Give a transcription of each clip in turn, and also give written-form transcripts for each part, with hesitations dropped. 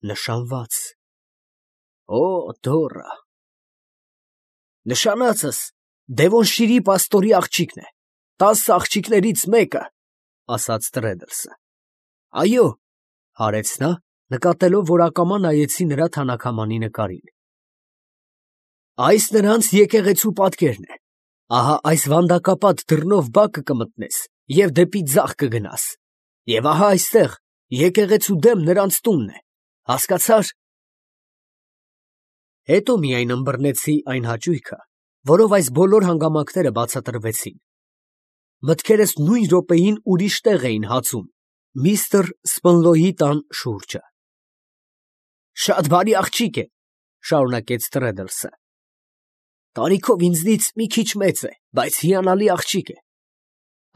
Նշանված։ Օ, դոռա։ Նշանածս Դևոնշիրի պաստորի աղջիկն է, 10 աղջիկներից մեկը, ասաց Տրեդլսը։ Այո, հարեց նա, նկատելով, որ ակամա նայեցի նրա թանաքամանի նկարին։ Այս նրանց եկեղեցու պատկերն է։ Ահա այս վանդակապատ դռնով բակը կմտնես և դեպի ձախ կգնաս։ Եվ ահա այստեղ եկեղեցու դեմ նրանց տունն է, հասկացա՞ր։ Հետո միայն ըմբռնեցի այն հաճույքը, որով այս բոլոր հանգամանքները բացատրվեցին։ Մտքերս նույն րոպեին ուրիշ տեղ էին հացում, միստր Սպնլոյի տան շուրջը։ Շատ բարի աղջիկ է, շարունակեց Տրեդլսը։ Տարիքով ինձնից մի քիչ մեծ է, բայց հիանալի աղջիկ է։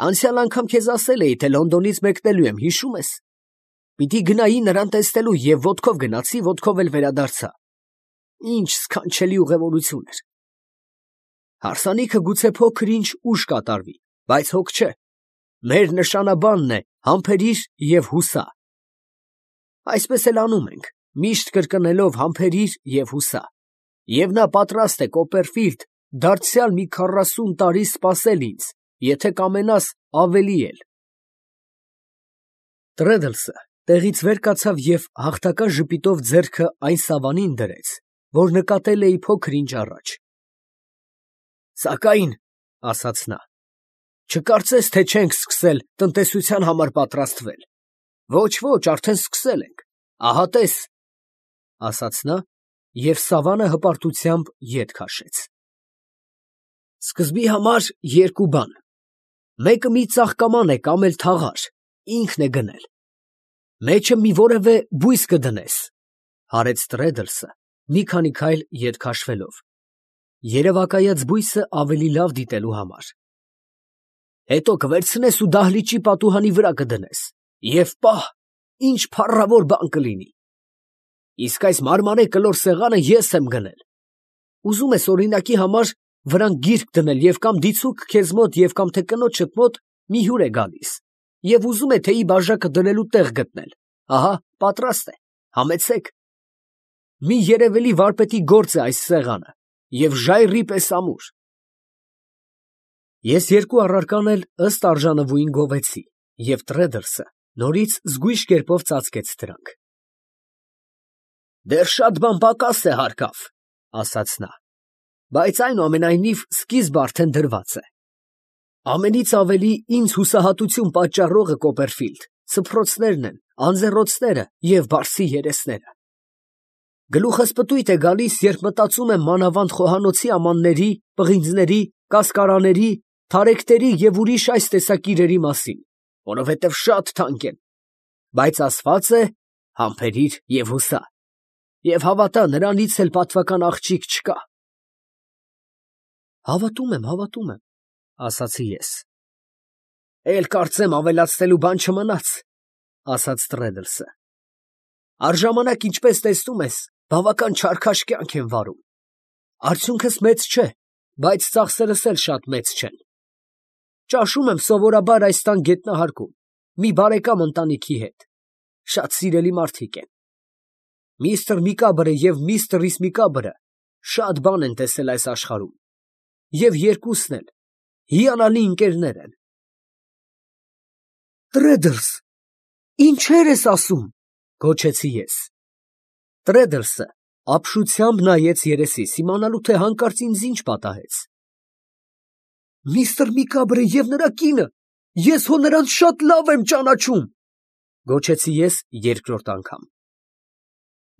Անցյալ անգամ քեզ ասել էի, թե Լոնդոնից մեկնելու եմ, հիշում ես։ Պիտի գնայի նրան տեսնելու և ոտքով գնացի, ոտքով էլ վերադարձա։ Ինչ սքանչելի ուղևորություն էր։ Հարսանիքը գուցե փոքր-ինչ ուշ կատարվի, բայց հոգ չէ։ Մեր նշանաբանն է համբերիր և հուսա։ Այսպես էլ անում ենք, միշտ կրկնելով համբերիր և հուսա։ Եվ նա պատրաստ է, Կոպերֆիլդ, դարձյալ մի 40 տարի սպասել ինձ, եթե կամենաս ավելի էլ։ Տրեդլսը տեղից վեր կացավ և հաղթական ժպիտով ձեռքը այն սավանին դրեց, որ նկատել էի փոքր-ինչ առաջ։ Սակայն, ասաց նա, չկարծես, թե չենք սկսել տնտեսության համար պատրաստվել։ Ոչ, արդեն սկսել ենք, ահա տես, ասաց նա և սավանը հպարտությամբ ետ քաշեց։ Սկզբի համար երկու բան. մեկը մի ծաղկաման է կամ էլ թաղար, ինքն է գնել։ Մեջը մի որևէ բույս կդնես, հարեց Տրեդլսը, մի քանի քայլ ետ քաշվելով, երևակայած բույսը ավելի լավ դիտելու համար։ Հետո կվերցնես ու դահլիճի պատուհանի վրա կդնես, և պահ, ինչ փառավոր բան կլինի։ Իսկ այս մարմանե կլոր սեղանը ես եմ գնել։ Ուզում ես օրինակի համար վրան գիրք դնել և կամ դիցուք քեզ մոտ և կամ թե կնոջդ մոտ մի հյուր է գալիս և ուզում է թեյի բաժակը դնելու տեղ գտնել, ահա պատրաստ է, համեցեք։ Մի երևելի վարպետի գործ է այս սեղանը և ժայռի պես ամուր։ Ես երկու առարկան էլ ըստ արժանվույն գովեցի, և Տրեդլսը նորից զգույշ կերպով ծածկեց դրանք։ Դեռ շատ բան պակաս է հարկավ, ասաց նա, բայց այնուամենայնիվ սկիզբը արդեն դրված է։ Ամենից ավելի ինձ հուսահատություն պատճառողը, Կոպերֆիլդ, սփռոցներն են, անձեռոցները և բարսի երեսները։ Գլուխս պտույտ է գալիս, երբ մտածում եմ մանավանդ խոհանոցի ամանների, պղինձների, կասկարաների, թարեքտերի և ուրիշ այս տեսակ իրերի մասին, որովհետև շատ թանկ են, բայց ասված է համբերիր և հուսա, և հավատա, նրանից էլ պատվական աղջիկ չկա։ Հավատում եմ, ասացի ես։ Էլ կարծեմ ավելացնելու բան չմնաց, ասաց Տրեդլսը։ Առժամանակ, ինչպես տեսնում ես, բավական չարքաշ կյանք եմ վարում։ Արդյունքս մեծ չէ, բայց ծախսերս էլ շատ մեծ չեն։ Ճաշում եմ սովորաբար այս տան գետնահարկում, մի բարեկամ ընտանիքի հետ, շատ սիրելի մարդիկ են։ Միստր Միկաբրը և միստր Իսմիկաբրը շատ բան են տեսել այս աշխարհում, և երկուսն էլ հիանալի ընկերներ են։ Տրեդլս, ինչեր ես ասում, գոչեցի ես։ Տրեդլսը ապշությամբ նայեց երեսիս, իմանալու, թե հանկարծ ինձ ինչ պատահեց։ Միստր Միկաբրը և նրա կինը, ես հո նրանց շատ լավ եմ ճանաչում, գոչեցի ես երկրորդ անգամ։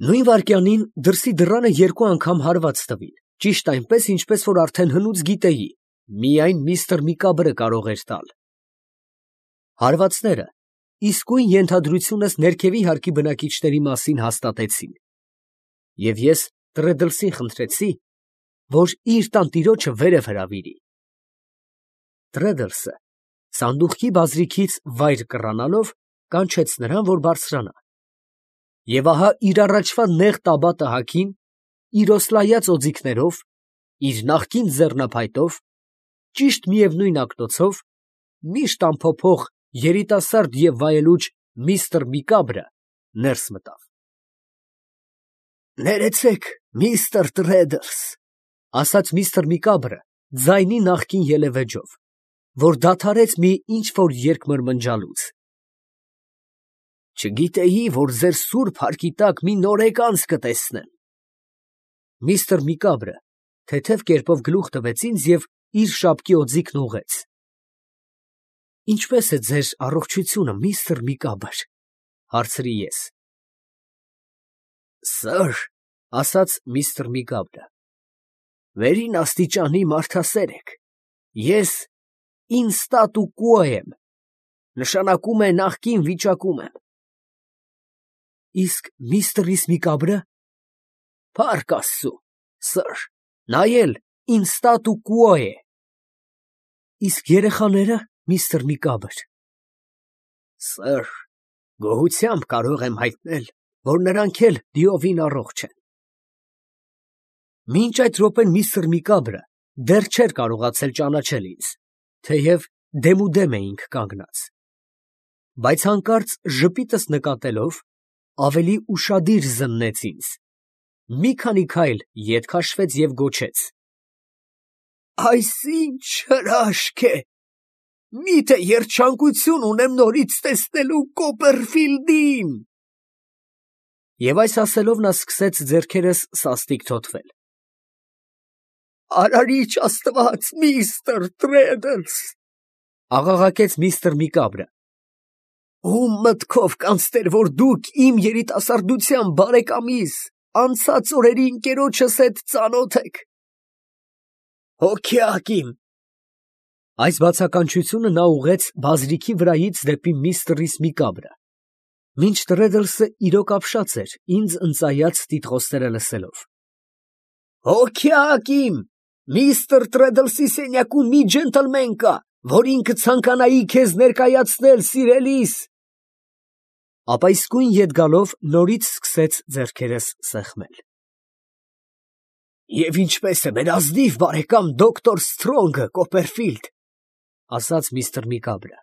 Նույն վայրկյանին դրսի դռանը երկու անգամ հարված տվին, ճիշտ այնպես, ինչպես որ արդեն հնուց գիտեի, միայն միստր Միկաբրը կարող էր տալ։ Հարվածները իսկույն ենթադրությունս ներքևի հարկի բնակիչների մասին հաստատեցին, և ես Տրեդլսին խնդրեցի, որ իր տանտիրոջը վերև հրավիրի։ Տրեդլսը սանդուղքի բազրիքից վայր կռանալով կանչեց նրան, որ բարձրանա։ Եվ ահա իր առաջվա նեղ տաբատը հագին, իր օսլայած օձիքներով, իր նախկին ձեռնափայտով, ճիշտ միևնույն ակնոցով, միշտ անփոփոխ երիտասարդ և վայելուչ միստր Միկաբրը ներս մտավ։ Ներեցեք, միստր Տրեդլս, ասաց միստր Միկաբրը ձայնի նախկին ելևեջով, որ դադարեց մի ինչ-որ երկմրմնջալուց։ Չգիտեի, որ ձեր սուրբ հարկի տակ մի նորեկանց կտեսնեմ։ Միստր Միկաբրը թեթև կերպով գլուխ տվեց ինձ և իր շապկի օձիքն ուղղեց։ Ինչպե՞ս է ձեր առողջությունը, միստր Միկաբր, հարցրի ես։ Սըր, ասաց միստր Միկաբրը, վերին աստիճանի մարդասեր եք։ Ես ինստատու կուո եմ, նշանակում է նախկին վիճակում եմ։ Իսկ միստր Միկաբրը, փառք Աստծու, սըր, նա էլ ինստատու կուո է։ Իսկ երեխաները, միստր Միկաբր։ Սըր, գոհությամբ կարող եմ հայտնել, որ նրանք էլ դիովին առողջ են։ Մինչ այդ րոպեն միստր Միկաբրը դեռ չէր կարողացել ճանաչել ինձ, թեև դեմուդեմ էինք կանգնած։ Բայց հանկարծ ժպիտս նկատելով, ավելի ուշադիր զննեց ինձ, մի քանի քայլ ետ քաշվեց և գոչեց. Այս ինչ հրաշք է, միթե երջանկություն ունեմ նորից տեսնելու Կոպերֆիլդին։ Եվ այս ասելով նա սկսեց ձեռքերս սաստիկ թոթվել։ Արարիչ Աստված, միստր Տրեդլս, աղաղակեց միստր Միկաբրը, ում մտքով կանցներ, որ դուք իմ երիտասարդության բարեկամիս, անցած օրերի ընկերոջս հետ ծանոթ եք։ Հոգյակ իմ։ Այս բացականչությունը նա ուղղեց բազրիքի վրայից դեպի միստր Միկաբրը, մինչ Տրեդլսը իրոք ապշած էր ինձ ընծայած տիտղոսները լսելով։ Հոգյակ իմ, միստր Տրեդլսի սենյակում մի ջենտլմեն կա, որին կցանկանայի քեզ ներկայացնել, սիրելիս։ Ապա իսկույն ետ գալով նորից սկսեց ձեռքերս սեղմել։ Եվ ինչպես է մեր ազնիվ բարեկամ դոկտոր Սթրոնգը, Կոպերֆիլդ, ասաց միստր Միկաբրը,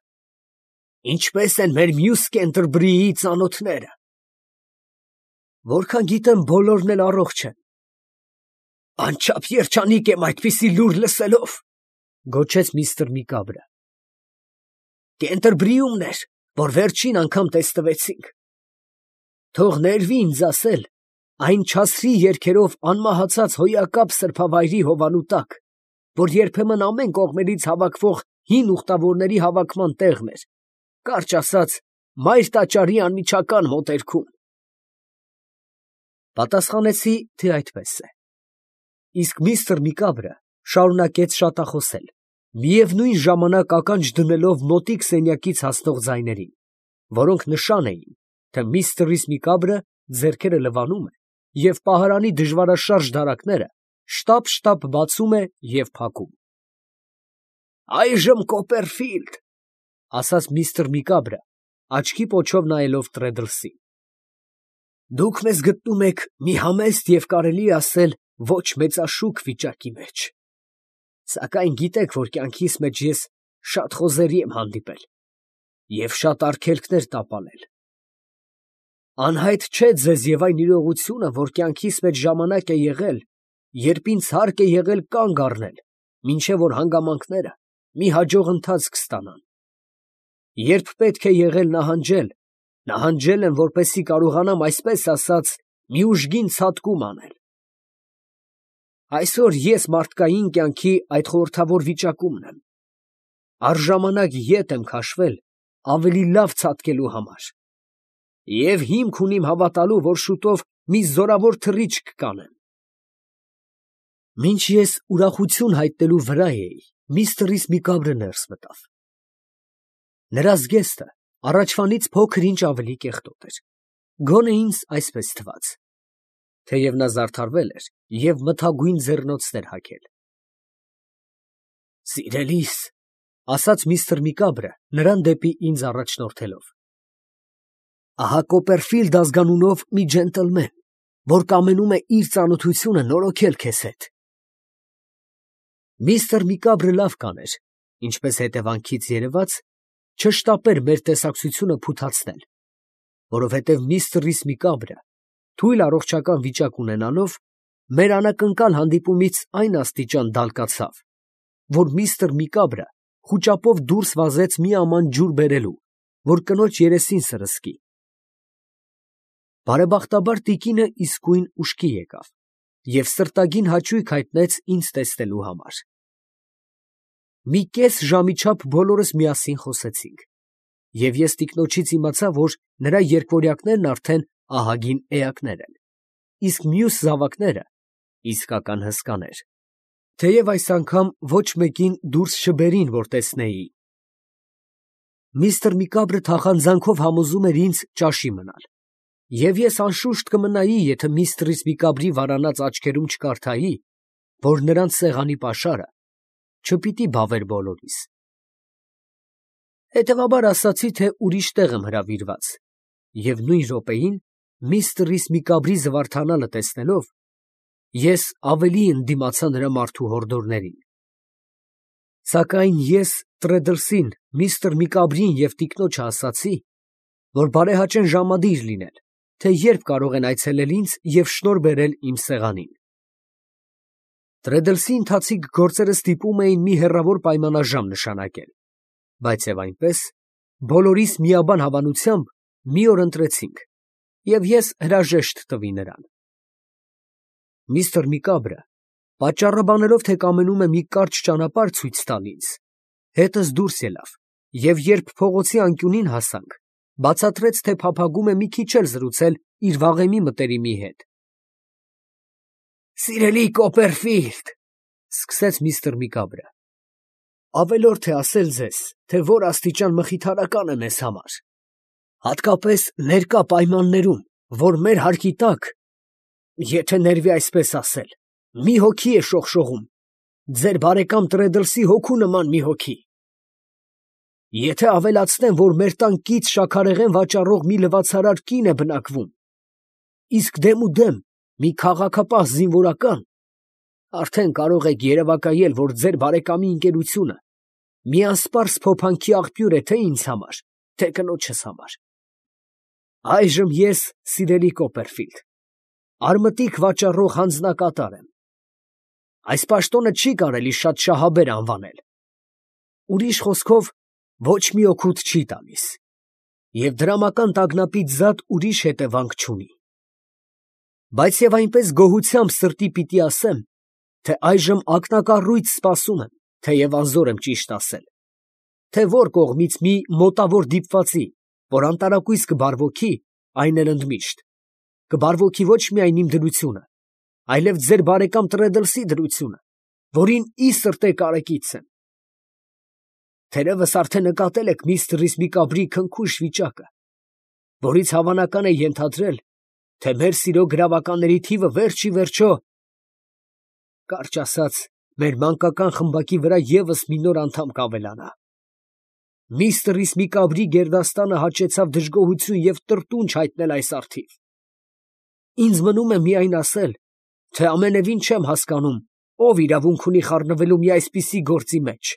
ինչպես են մեր մյուս Կենտերբրիի ծանոթները։ Որքան գիտեմ, բոլորն էլ առողջ են։ Անչափ երջանիկ եմ այդպիսի լուր լսելով, գոչեց միստր Միկաբրը։ Կենտերբրիումն էր, որ վերջին անգամ տեսնվեցինք։ Թող ներվի ինձ ասել, այն չասրի երգերով անմահացած հոյակապ սրբավայրի հովանու տակ, որ երբեմն ամեն կողմերից հավաքվող հին ուխտավորների հավաքման տեղն էր, կարճ ասած, մայր տաճարի անմիջական մոտերքում։ Պատասխանեցի, թե այդպես է։ Իսկ միստր Միկաբրը շարունակեց շատախոսել, միևնույն ժամանակ ականջ դնելով մոտիկ սենյակից հասնող ձայներին, որոնք նշան էին, թե միստր Միկաբրը ձեռքերը լվանում է և պահարանի դժվարաշարժ դարակները շտապ բացում է և փակում։ Այժմ Կոպերֆիլդ, ասաց միստր Միկաբրը, աչքի պոչով նայելով Տրեդլսին։ Դուք մեզ գտնում եք մի համեստ և կարելի է ասել ոչ մեծաշուք վիճակի մեջ։ Սակայն գիտեք, որ կյանքիս մեջ ես շատ խոզերի եմ հանդիպել և շատ արգելքներ տապալել։ Անհայտ չէ ձեզ և այն իրողությունը, որ կյանքիս մեջ ժամանակ է եղել, երբ ինձ հարկ է եղել կանգ առնել, մինչև որ հանգամանքները մի հաջող ընթացք ստանան։ Երբ պետք է եղել նահանջել եմ, որպեսզի կարողանամ, այսպես ասած, մի ուժգին ցատկում անել։ Այսօր ես մարդկային կյանքի այդ խորհրդավոր վիճակումն եմ։ Առժամանակ ետ եմ քաշվել ավելի լավ ցատկելու համար։ Եվ հիմք ունիմ հավատալու, որ շուտով մի զորավոր թռիչք կանեմ։ Մինչ ես ուրախություն հայտնելու վրա էի, միստր Միկաբրը ներս մտավ։ Նրա զգեստը առաջվանից փոքր ինչ ավելի կեղտոտ էր, գոնե ինձ այսպես թվաց, թեև նա զարդարվել էր և մթագույն ձեռնոցներ հագել։ Սիրելիս, ասաց միստր Միկաբրը նրան դեպի ինձ առաջնորդելով, ահա Կոպերֆիլդ ազգանունով մի ջենտլմեն, որ կամենում է իր ծանոթությունը նորոգել քեզ հետ։ Միստր Միկաբրը լավ կաներ, ինչպես հետևանքից երևաց, չշտապեր մեր տեսակցությունը փութացնել, որովհետև միստր Միկաբրը թույլ առողջական վիճակ ունենալով, մեր անակնկալ հանդիպումից այն աստիճան դալկացավ, որ միստր Միկաբրը խուճապով դուրս վազեց մի աման ջուր բերելու, որ կնոջ երեսին սրսկի։ Բարեբախտաբար տիկինը իսկույն ուշքի եկավ և սրտագին հաճույք հայտնեց ինձ տեսնելու համար։ Մի կես ժամի չափ բոլորս միասին խոսեցինք, և ես տիկնոջից իմացա, որ նրա երկվորյակներն արդեն ահագին էակներ են, իսկ մյուս զավակները իսկական հսկաներ, թեև այս անգամ ոչ մեկին դուրս չբերին, որ տեսնեի։ Միստր Միկաբրը թախանձանքով համոզում էր ինձ ճաշի մնալ, և ես անշուշտ կմնայի, եթե միստր Միկաբրի վարանած աչքերում չկարդայի, որ նրանց սեղանի պաշարը չպիտի բավեր բոլորիս։ Հետևաբար ասացի, թե ուրիշ տեղ եմ հրավիրված, և նույն րոպեին միստր Միկաբրի զվարթանալը տեսնելով, ես ավելի ընդդիմացա նրա մարդու հորդորներին։ Սակայն ես Տրեդլսին, միստր Միկաբրին և տիկնոջը ասացի, որ բարեհաճեն ժամադիր լինել, թե երբ կարող են այցելել ինձ և շնորհ բերել իմ սեղանին։ Տրեդլսի ընթացիկ գործերը ստիպում էին մի հեռավոր պայմանաժամ նշանակել, բայց և այնպես, բոլորիս միաբան հավանությամբ մի օր ընտրեցինք, և ես հրաժեշտ տվի նրան։ Միստր Միկաբրը, պատճառաբանելով, թե կամենում է մի կարճ ճանապարհ ցույց տալ ինձ, հետս դուրս ելավ, և երբ փողոցի անկյունին հասանք, բացատրեց, թե փափագում է մի քիչ էլ զրուցել իր վաղեմի մտերիմի հետ։ «Սիրելի Կոպերֆիլդ, ֊ սկսեց միստր Միկաբրը, ֊ ավելորդ է ասել ձեզ, թե որ աստիճան մխիթարական է մեզ համար, հատկապես ներկա պայմաններում, որ մեր հարկի տակ, եթե ներվի այսպես ասել, մի հոգի է շողշողում, ձեր բարեկամ Տրեդլսի հոգու նման մի հոգի։ Եթե ավելացնեմ, որ մեր տան կից շաքարեղեն վաճառող մի լվացարար կին է բնակվում, իսկ դեմուդեմ մի քաղաքապահ զինվորական, արդեն կարող եք երևակայել, որ ձեր բարեկամի ընկերությունը մի անսպարս փոփանքի աղբյուր է թե ինձ համար, թե կնոջս համար։ Այժմ ես, սիրելի Կոպերֆիլդ, արմատիկ վաճառող հանձնակատար եմ։ Այս պաշտոնը չի կարելի շատ շահաբեր անվանել։ Ուրիշ խոսքով, ոչ մի օգուտ չի տալիս, և դրամական տագնապից զատ ուրիշ հետևանք չունի։ Բայց և այնպես գոհությամբ սրտի պիտի ասեմ, թե այժմ ակնակառույց սպասում եմ, թեև անզոր եմ ճիշտ ասել, թե որ կողմից մի մոտավոր դիպվածի, որ անտարակույս կբարվոքի, այն էլ ընդմիշտ, կբարվոքի ոչ միայն իմ դրությունը, այլև ձեր բարեկամ Տրեդլսի դրությունը, որին ի սրտե կարեկից եմ։ Թերևս արդեն նկատել եք միստր Միկաբրի քնքուշ վիճակը, որից հավանական է ենթադրել, թե մեր սիրո գրավականների թիվը վերջ ի վերջո, կարճ ասած, մեր մանկական խմբակի վրա ևս մի նոր անդամ կավելանա։ Միստր Միկաբրի գերդաստանը հաճեցավ դժգոհություն և տրտունջ հայտնել այս առթիվ։ Ինձ մնում է միայն ասել, թե ամենևին չեմ հասկանում, ով իրավունք ունի խառնվելու մի այսպիսի գործի մեջ,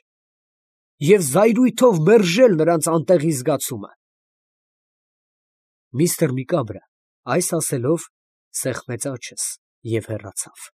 և զայրույթով մերժել նրանց անտեղի զգացումը։ Միստր Միկաբրը այս ասելով սեղմեց աչս և հեռացավ։